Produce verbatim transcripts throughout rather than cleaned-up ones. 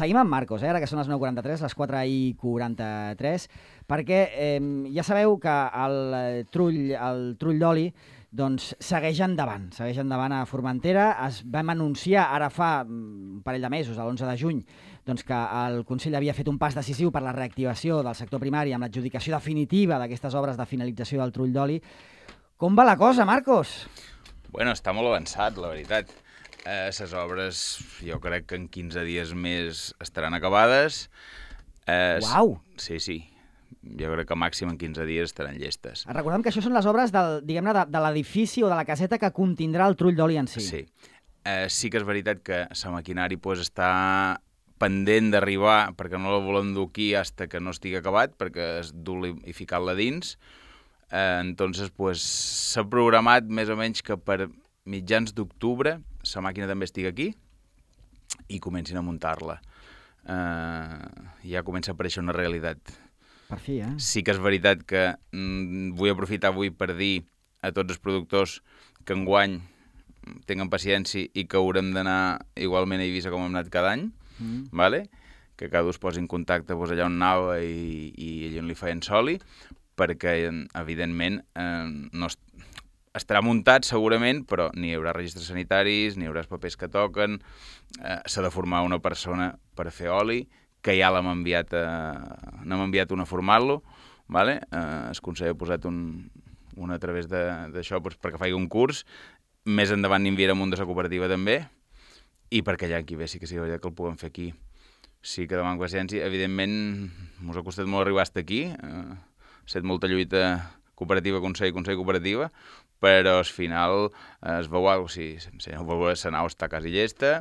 seguim amb Marcos, eh, ara que són les nou quaranta-tres, les quatre i quaranta-tres, perquè eh, ja sabeu que el trull, el trull d'oli doncs, segueix endavant, segueix endavant a Formentera. Es vam anunciar ara fa un parell de mesos, l'onze de juny, doncs, que el Consell havia fet un pas decisiu per la reactivació del sector primari amb l'adjudicació definitiva d'aquestes obres de finalització del trull d'oli. Com va la cosa, Marcos? Bueno, està molt avançat, la veritat. Eh, les obres, jo crec que en quinze dies més estaran acabades. Eh, Uau! Sí, sí. Jo crec que màxim en quinze dies estaran llestes. Recordem que això són les obres del, diguem-ne, de, de l'edifici o de la caseta que contindrà el trull d'oli en si. Sí. Eh, sí que és veritat que la maquinari pues, està pendent d'arribar, perquè no la volem dur aquí fins que no estigui acabat, perquè és dur-la i ficar-la dins. Eh, entonces, pues, s'ha programat més o menys que per mitjans d'octubre la màquina també estigui aquí i comencin a muntar-la. Eh, ja comença a aparèixer una realitat. Per fi, eh? Sí que és veritat que mm, vull aprofitar avui per dir a tots els productors que enguany tinguin paciència i que haurem d'anar igualment a Eivissa com hem anat cada any, mm. vale? Que cada un es posi en contacte pues, allà on anava i, i allà on li feien soli, perquè, evidentment, eh, no est estarà muntat segurament, però ni hi haurà registres sanitaris, ni hi haurà els papers que toquen, eh, s'ha de formar una persona per fer oli, que ja l'hem enviat, a, n'hem enviat una a formar-lo, vale? eh, el Consell ha posat un, un a través d'això doncs, perquè faci un curs, més endavant n'enviarem un de la cooperativa també, i perquè allà aquí ve sí que sí que el puguem fer aquí. Sí que demano paciència, evidentment mos ha costat molt arribar fins aquí, eh, ha estat molta lluita cooperativa, consell, consell, cooperativa, però al final eh, es veu alguna cosa, sí, si no veu, la nau està quasi llesta,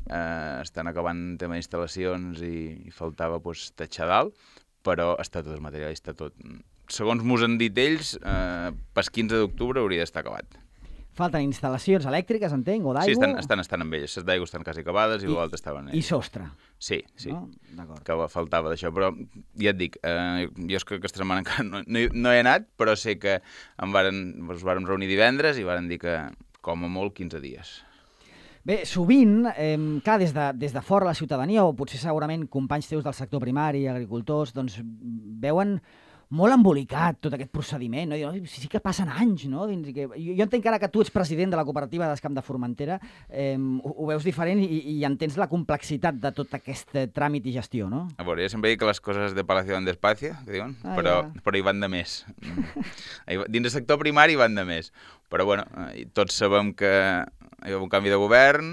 eh, estan acabant el tema d'instal·lacions i, i faltava pues, tatxar dalt, però està tot el material, està tot. Segons mos han dit ells, eh, pel quinze d'octubre hauria d'estar acabat. Falten instal·lacions elèctriques, entenc, o d'aigua? Sí, estan, estan, estan amb elles. Les d'aigua estan quasi acabades i, i l'altre estaven... I sostre. Sí, sí, no? Que faltava d'això, però ja et dic, eh, jo és que aquesta setmana encara no, no, no he anat, però sé que em varen, ens vàrem reunir divendres i varen dir que com a molt quinze dies. Bé, sovint, eh, clar, des de, des de fora la ciutadania, o potser segurament companys teus del sector primari, agricultors, doncs veuen molt embolicat tot aquest procediment, no? I, sí que passen anys, no? Dins, que, jo, jo entenc ara que tu ets president de la cooperativa d'Escamp de Formentera, eh, ho, ho veus diferent i, i entens la complexitat de tot aquest tràmit i gestió, no? A veure, jo sempre dic que les coses de Palacio van despacio, que diuen, ah, però, ja. però hi van de més. Dins del sector primari van de més. Però, bueno, tots sabem que hi va un canvi de govern,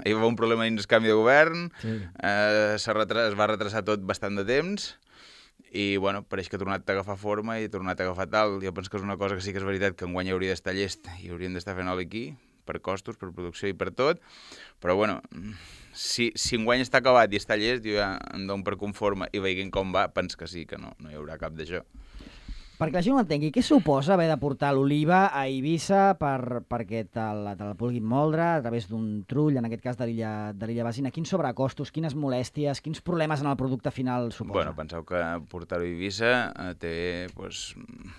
hi va un problema dins el canvi de govern, sí. eh, es va retrasar tot bastant de temps, i, bueno, pareix que ha tornat a agafar forma i ha tornat a agafar tal. Jo penso que és una cosa que sí que és veritat que enguany hauria d'estar llest i hauríem d'estar fent oli aquí, per costos, per producció i per tot, però, bueno, si, si enguany està acabat i està llest, jo ja em dono per conforme i veient com va, penso que sí, que no, no hi haurà cap d'això. Perquè la gent ho entengui, què suposa haver de portar l'oliva a Eivissa per, perquè te la, te la puguin moldre a través d'un trull, en aquest cas de l'illa Basina? Quins sobrecostos, quines molèsties, quins problemes en el producte final suposa? Bueno, penseu que portar-ho a Eivissa eh, té pues,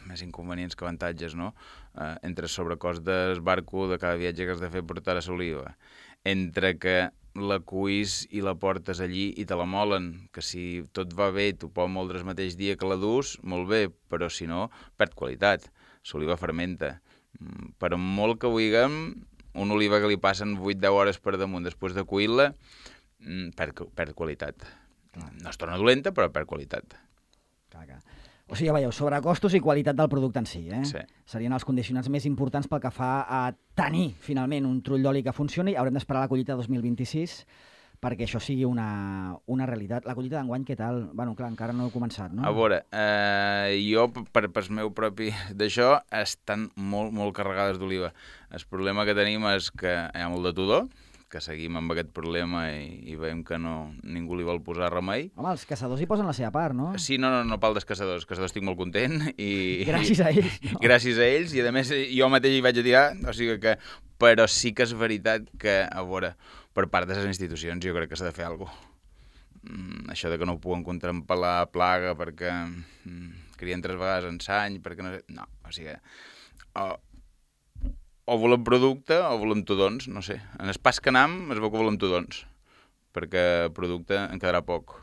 més inconvenients que avantatges, no? Eh, entre el sobrecost del barco de cada viatge que has de fer portar a l'oliva, entre que la cuis i la portes allí i te la molen, que si tot va bé tu pots moldre el mateix dia que la dus, molt bé, però si no, perd qualitat. L'oliva fermenta. Per molt que vulguem, una oliva que li passen vuit a deu hores per damunt després de cuir-la, perd, perd qualitat. No es torna dolenta, però perd qualitat. Clar, clar. O sigui, ja veieu, sobrecostos i qualitat del producte en si, eh? Sí. Serien els condicionants més importants pel que fa a tenir, finalment, un trull d'oli que funcioni. Haurem d'esperar la collita dos mil vint-i-sis perquè això sigui una, una realitat. La collita d'enguany, què tal? Bueno, clar, encara no heu començat, no? A veure, eh, jo, per, per meu propi d'això, estan molt, molt carregades d'oliva. El problema que tenim és que hi ha molt de tudor, que seguim amb aquest problema i, i veiem que no, ningú li vol posar remei. Home, els caçadors hi posen la seva part, no? Sí, no, no, no pel dels caçadors. Els caçadors estic molt content. I, gràcies a ells. No? Gràcies a ells, i a més jo mateix hi vaig a tirar, o sigui que... Però sí que és veritat que, a veure, per part de les institucions jo crec que s'ha de fer alguna cosa. Mm, això de que no ho puguen contrampel·lar plaga perquè mm, crien tres vegades en l'any, perquè no sé... No, o sigui... O, o volem producte o volem tudons, no sé. En el pas que anam es veu que volem tudons. perquè producte en quedarà poc.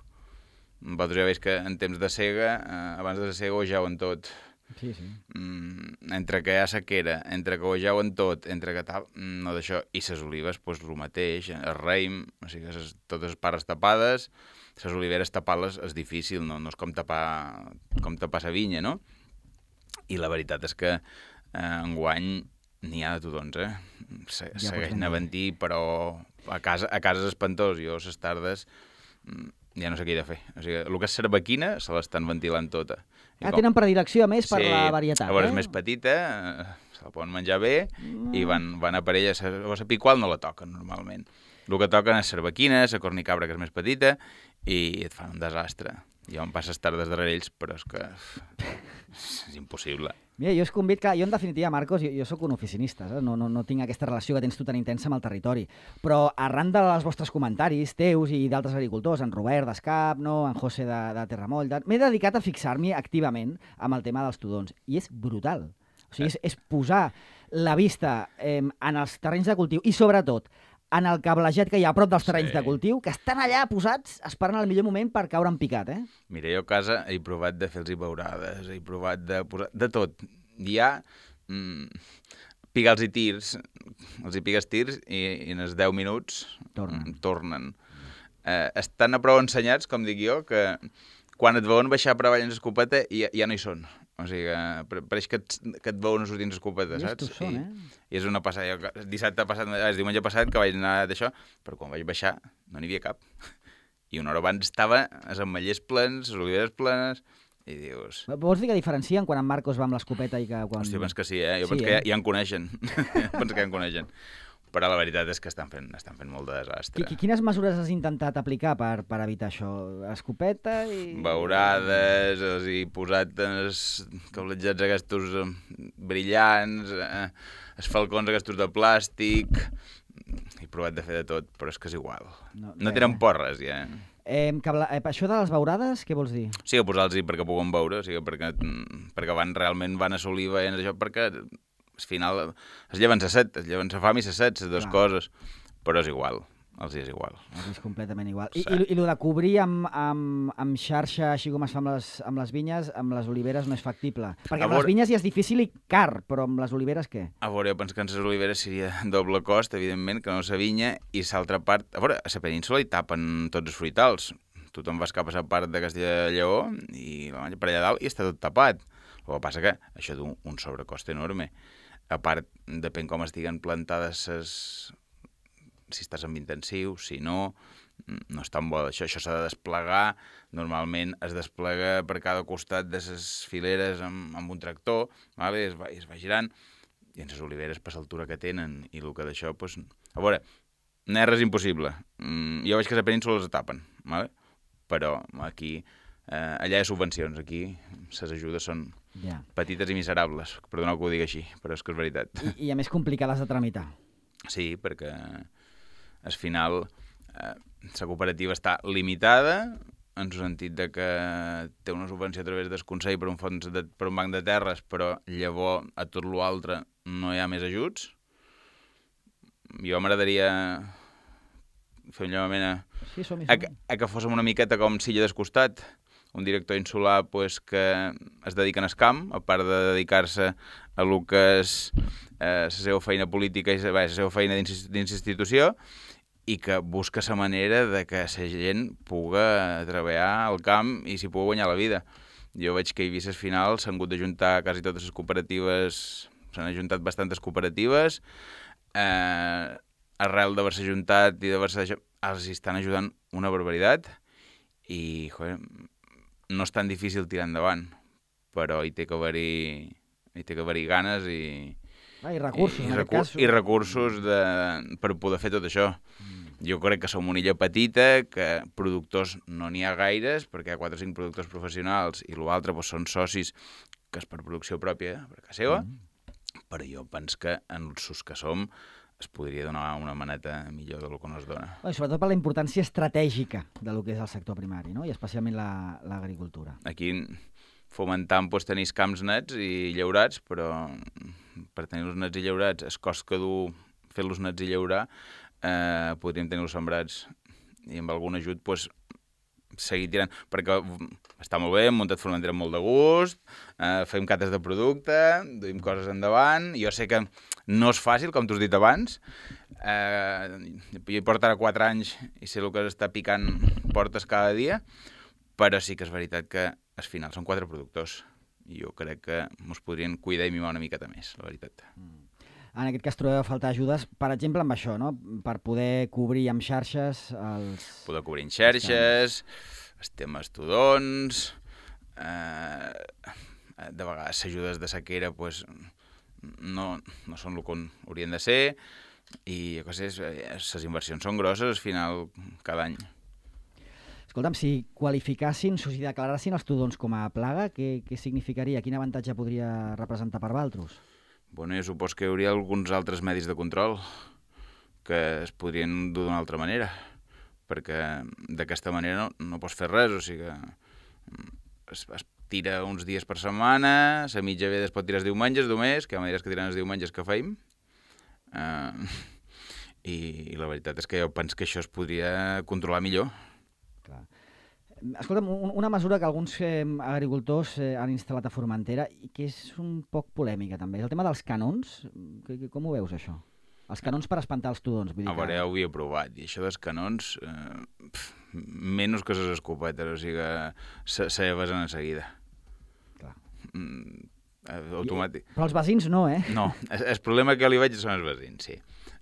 Vosaltres ja veus que en temps de sega, eh, abans de la sega ho jauen tot. Sí, sí. Mm, entre que hi ha sequera, entre que ho jauen tot, entre que tal, no d'això. I les olives, doncs, el mateix, el raïm, o sigui, ses, totes les pares tapades, les oliveres tapar-les és difícil, no, no és com tapar, com tapar la vinya, no? I la veritat és que eh, enguany n'hi ha de tudons, eh? Se, ja segueix nevant-hi, però a casa, a casa és espantós. Jo, les tardes, ja no sé què he de fer. O sigui, el que és cervequina se l'estan ventilant tota. Ah, com... tenen predilecció, a més, per sí, la varietat, eh? A veure, eh? és més petita, eh, se la poden menjar bé, mm. i van, van a parella, o la piqual no la toquen, normalment. El que toquen és cervequina, la cornicabra, que és més petita, i et fan un desastre. Jo em passes tardes darrere ells, però és que és impossible. Mira, jo us convido que... Jo, en definitiva, Marcos, jo, jo sóc un oficinista, eh? no, no, no tinc aquesta relació que tens tu tan intensa amb el territori. Però arran dels vostres comentaris, teus i d'altres agricultors, en Robert d'Escap, no? En José de, de Terramoll, de... m'he dedicat a fixar-m'hi activament amb el tema dels tudons. I és brutal. O sigui, és, és posar la vista eh, en els terrenys de cultiu i, sobretot, en el cablejat que hi ha a prop dels terrenys sí. de cultiu, que estan allà posats esperant el millor moment per caure en picat, eh? Mira, jo a casa he provat de fer-los beurades, he provat de posar... de tot. Hi ha mm, pigals i tirs, els hi pigues tirs i, i en els deu minuts tornen. Mm, tornen. Eh, estan a prou ensenyats, com dic jo, que quan et veuen baixar per avall en l'escopeta ja, ja no hi són. O sigui, que pareix que et, que et veuen sortint l'escopeta, saps? Són, eh? I, I és una passada. Jo, dissabte passat, el diumenge passat, que vaig anar d'això, però quan vaig baixar no n'hi havia cap. I una hora abans estava els ametllers plens, les oliveres plenes, i dius... Vols dir que diferencien quan en Marcos va amb l'escopeta i que quan... Hòstia, penso que sí, eh? Jo sí, penso eh? que ja, ja en coneixen. penso que ja en coneixen. Però la veritat és que estan fent, estan fent molt de desastre. Quines mesures has intentat aplicar per, per evitar això? Escopeta i... Beurades, els he posat els cablejats aquests brillants, eh, els falcons aquests de plàstic... He provat de fer de tot, però és que és igual. No, no tenen porres, ja. Eh, cable... eh, això de les beurades, què vols dir? Sí, posar-los-hi perquè puguem beure, o sigui, perquè, perquè van, realment van assolir veient això, perquè... al final es lleven sa set, es lleven sa fam i sa set, les dues coses, però és igual, els és igual. Els és completament igual. Sí. I, i, i el de cobrir amb, amb, amb xarxa, així com es fa amb les, amb les vinyes, amb les oliveres no és factible. Perquè amb veure... les vinyes ja és difícil i car, però amb les oliveres què? A veure, jo penso que en les oliveres seria doble cost, evidentment, que no la vinya, i l'altra part... A veure, a la península hi tapen tots els fruitals. Tu te'n vas cap a la part de Castella i Lleó i la manja per allà dalt i està tot tapat. El que passa que això té un, un sobrecost enorme. A part, depèn com estiguen plantades ses... si estàs en intensiu, si no, no és tan bo. Això això s'ha de desplegar, normalment es desplega per cada costat de les fileres amb, amb un tractor, vale? es, va, es va girant, i en les oliveres per l'altura que tenen, i el que d'això, doncs... A veure, no és res impossible. Mm, jo veig que a la península les tapen, vale? Però aquí... Eh, allà hi ha subvencions, aquí les ajudes són ja. petites i miserables, perdoneu que ho digui així, però és que és veritat. I, i a més complicades de tramitar. Sí, perquè al final eh, la cooperativa està limitada en el sentit de que té una subvenció a través del Consell per un, fons de, per un banc de terres, però llavors a tot l'altre no hi ha més ajuts. Jo m'agradaria fer un llamament a, sí, som, som. a, a que fóssim una miqueta com Silla del Costat, un director insular pues, que es dedica al camp, a part de dedicar-se a lo que és eh, la seva feina política i la seva feina dins l'institució, i que busca la manera de que la gent puga treballar al camp i s'hi pugui guanyar la vida. Jo veig que a Eivissa al final s'han hagut d'ajuntar quasi totes les cooperatives, s'han ajuntat bastantes cooperatives, eh, arrel d'haver-se ajuntat i d'haver-se deixat, els estan ajudant una barbaritat i, joder, no és tan difícil tirar endavant, però hi té que haver-hi, hi té que haver-hi ganes i... Ah, i recursos, i, en recu aquest cas. I recursos de, per poder fer tot això. Mm. Jo crec que som una illa petita, que productors no n'hi ha gaires, perquè hi ha quatre o cinc productors professionals i l'altre doncs, són socis que és per producció pròpia, per casa seva, mm. però jo penso que en els que som es podria donar una maneta millor del que no es dona. Bueno, sobretot per la importància estratègica del que és el sector primari, no? I especialment l'agricultura. La, Aquí fomentant doncs, tenir camps nets i llaurats, però per tenir-los nets i llaurats, el cost que du fer-los nets i llaurar, eh, podríem tenir-los sembrats i amb algun ajut pues, seguir tirant, perquè està molt bé, hem muntat Formentera amb molt de gust, eh, fem cates de producte, duim coses endavant, jo sé que no és fàcil, com t'ho has dit abans, eh, jo hi porto ara quatre anys i sé el que està picant portes cada dia, però sí que és veritat que al final són quatre productors i jo crec que ens podrien cuidar i mimar una miqueta més, la veritat. Mm. En aquest cas trobeu a faltar ajudes, per exemple, amb això, no? Per poder cobrir amb xarxes els... Poder cobrir amb xarxes, els temes tudons, eh, de vegades ajudes de sequera pues, no, no són el que haurien de ser i coses, les inversions són grosses al final cada any. Escolta'm, si qualificassin, o si declarassin els tudons com a plaga, què, què significaria? Quin avantatge podria representar per Valtros? Bueno, jo supos que hi hauria alguns altres medis de control que es podrien dur d'una altra manera, perquè d'aquesta manera no, no pots fer res, o sigui que es, es tira uns dies per setmana, la mitja vegada es pot tirar els diumenges només, que hi ha maneres que tiren els diumenges que feim, uh, i, i la veritat és que jo penso que això es podria controlar millor. Clar. Escolta'm, una mesura que alguns eh, agricultors eh, han instal·lat a Formentera i que és un poc polèmica també, és el tema dels canons. Com ho veus, això? Els canons per espantar els tudons. Vull dir a veure, que... ja ho havia provat, i això dels canons, eh, pf, menys que les escopetes, o sigui que se, se besen en seguida. Clar. Mm, automàtic. I, però els veïns no, eh? No, el, el problema que li veig són els veïns, sí.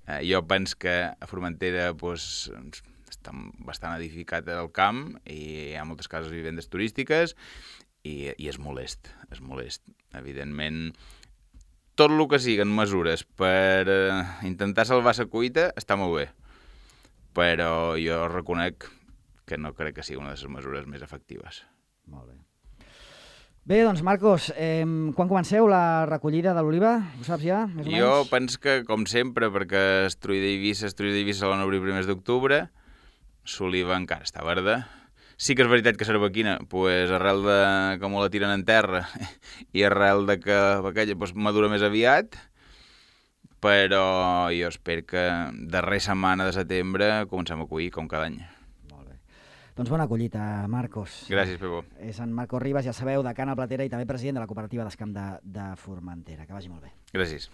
Eh, jo penso que a Formentera pues, està bastant edificat el camp i hi ha moltes cases vivendes turístiques i, i és molest, és molest. Evidentment, tot el que siguen mesures per eh, intentar salvar la cuita està molt bé, però jo reconec que no crec que sigui una de les mesures més efectives. Molt bé. Bé, doncs, Marcos, eh, quan comenceu la recollida de l'oliva? Ho saps ja, més o menys? Jo penso que, com sempre, perquè Estruïda d'Eivissa, Estruïda d'Eivissa se l'han obrir primers d'octubre, l'oliva encara està verda. Sí que és veritat que l'herbequina, pues, arrel de com la tiren en terra i arrel de que aquella pues, madura més aviat, però jo espero que darrera setmana de setembre comencem a collir, com cada any. Molt bé. Doncs bona collita, Marcos. Gràcies, Pepo. És en Marcos Ribas, ja sabeu, de Cana Platera i també president de la cooperativa d'Escamp de, de Formentera. Que vagi molt bé. Gràcies.